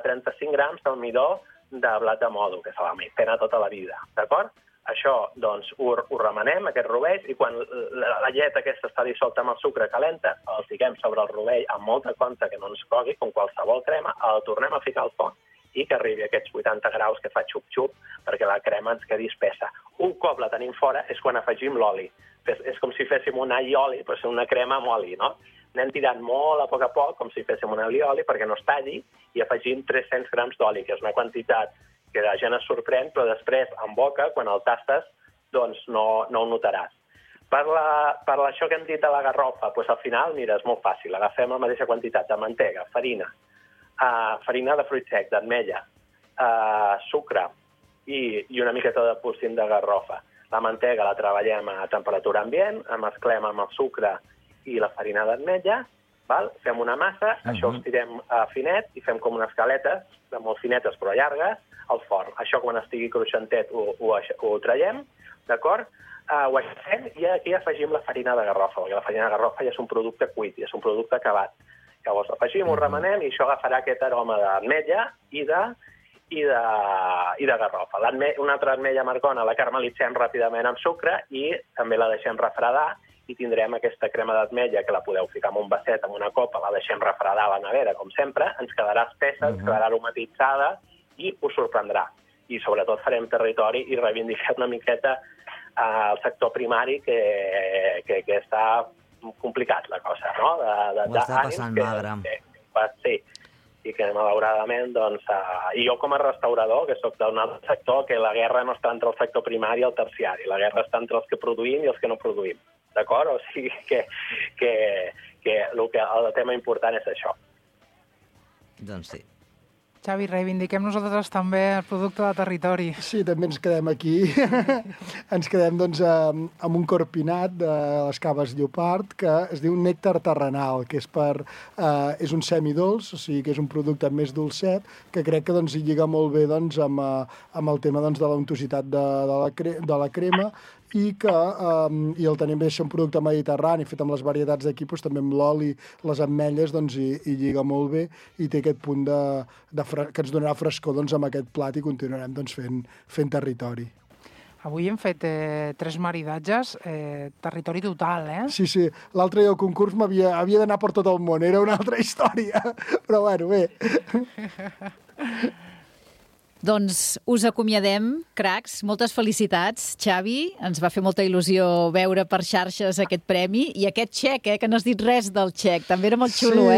Speaker 14: 35 grams d'almidó de blat de mòdol, que se la maicena tota la vida, d'acord? Això, doncs, ho remenem, aquest rovell, i quan la llet aquesta està dissolta amb el sucre calenta, el fiquem sobre el rovell amb molta compte que no ens cogui, com qualsevol crema, el tornem a ficar al forn i que arribi a aquests 80 graus que fa xup-xup perquè la crema ens quedi espessa. Un cop la tenim fora és quan afegim l'oli. És com si féssim un all i oli, però és una crema amb oli, no? Anem tirant molt a poc, com si féssim un all i oli, perquè no es talli, i afegim 300 grams d'oli, que és una quantitat que la gent es sorprèn, però després, en boca, quan el tastes, doncs no ho notaràs. Per això que hem dit de la garrofa, doncs al final, mira, és molt fàcil. Agafem la mateixa quantitat de mantega, farina de fruit sec, d'ametlla, sucre i una miqueta de polsim de garrofa. La mantega la treballem a temperatura ambient, la mesclem amb el sucre i la farina d'ametlla, fem una massa, això ho estirem finet i fem com unes galetes, molt finetes però llargues, al forn. Això quan estigui cruixentet ho traiem, d'acord? Ho aixafem i aquí afegim la farina de garrofa, perquè la farina de garrofa ja és un producte cuit, ja és un producte acabat. Llavors afegim, ho remenem i això agafarà aquest aroma d'ametlla i de garrofa. Una altra ametlla amargona la caramelitzem ràpidament amb sucre i també la deixem refredar i tindrem aquesta crema d'ametlla que la podeu ficar en un vasset, en una copa, la deixem refredar a la nevera, com sempre, ens quedarà espessa, ens quedarà aromatitzada i us sorprendrà. I sobretot farem territori i reivindiquem una miqueta al sector primari que està complicat la cosa, no?
Speaker 5: Ho està passant magre.
Speaker 14: Sí. i que malauradament, doncs, i jo com a restaurador, que sóc d'un altre sector, que la guerra no està entre el sector primari i el terciari, la guerra està entre els que produïm i els que no produïm, d'acord? O sigui que el tema important és això.
Speaker 5: Doncs sí.
Speaker 12: Xavi, reivindiquem nosaltres també el producte de territori.
Speaker 13: Sí, també ens quedem aquí. Ens quedem doncs, amb un corpinat de les caves Llopart que es diu nèctar terrenal, que és un semidolç, o sigui que és un producte més dolcet, que crec que doncs, hi lliga molt bé doncs, amb el tema doncs, de la untositat de la crema, i el tenim bé, un producte mediterrani fet amb les varietats d'aquí, doncs, també amb l'oli, les ametlles, doncs, hi lliga molt bé i té aquest punt que ens donarà frescor doncs, amb aquest plat i continuarem doncs, fent territori.
Speaker 12: Avui hem fet 3 maridatges, territori total, eh?
Speaker 13: Sí, l'altre dia el concurs havia d'anar per tot el món, era una altra història, però bueno, bé.
Speaker 4: Doncs us acomiadem, cracs. Moltes felicitats, Xavi. Ens va fer molta il·lusió veure per xarxes aquest premi. I aquest xec, que no has dit res del xec. També era molt xulo,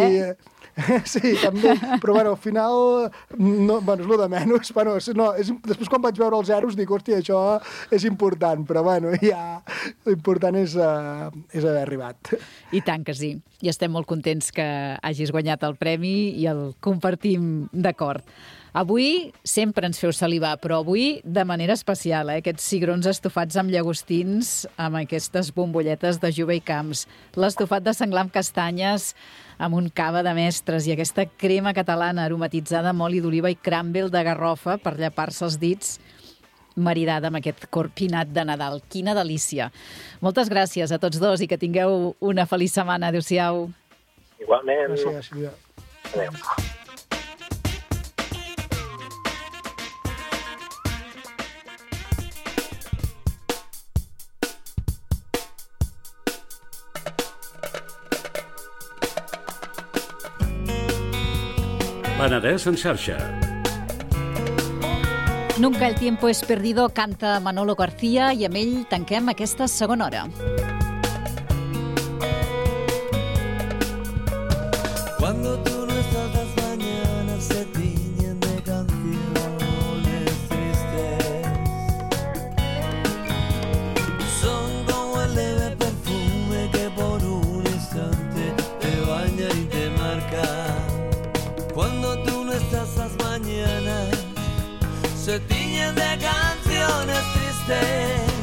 Speaker 13: Sí, també. Però, al final, és el de menys. Després, quan vaig veure els zeros, dic, hòstia, això és important. Però, ja, l'important és haver arribat.
Speaker 4: I tant que sí. I estem molt contents que hagis guanyat el premi i el compartim d'acord. Avui sempre ens feu salivar, però avui de manera especial, aquests cigrons estofats amb llagostins, amb aquestes bombolletes de Juba i Camps, l'estofat de senglar amb castanyes, amb un cava de mestres i aquesta crema catalana aromatitzada amb oli d'oliva i cràmbel de garrofa per llepar-se els dits, maridada amb aquest corpinat de Nadal. Quina delícia! Moltes gràcies a tots dos i que tingueu una feliç setmana. Adéu-siau.
Speaker 14: Igualment.
Speaker 13: Gràcies, Sílvia.
Speaker 14: Adéu.
Speaker 8: Penedès en xarxa.
Speaker 4: Nunca el tiempo es perdido, canta Manolo García i amb ell tanquem aquesta segona hora.
Speaker 15: Cuando tú no estás, las mañanas se tiñen de canciones tristes. Son como el leve perfume que por un instante te baña y te marca. Cuando tú no estás, las mañanas se tiñen de canciones tristes.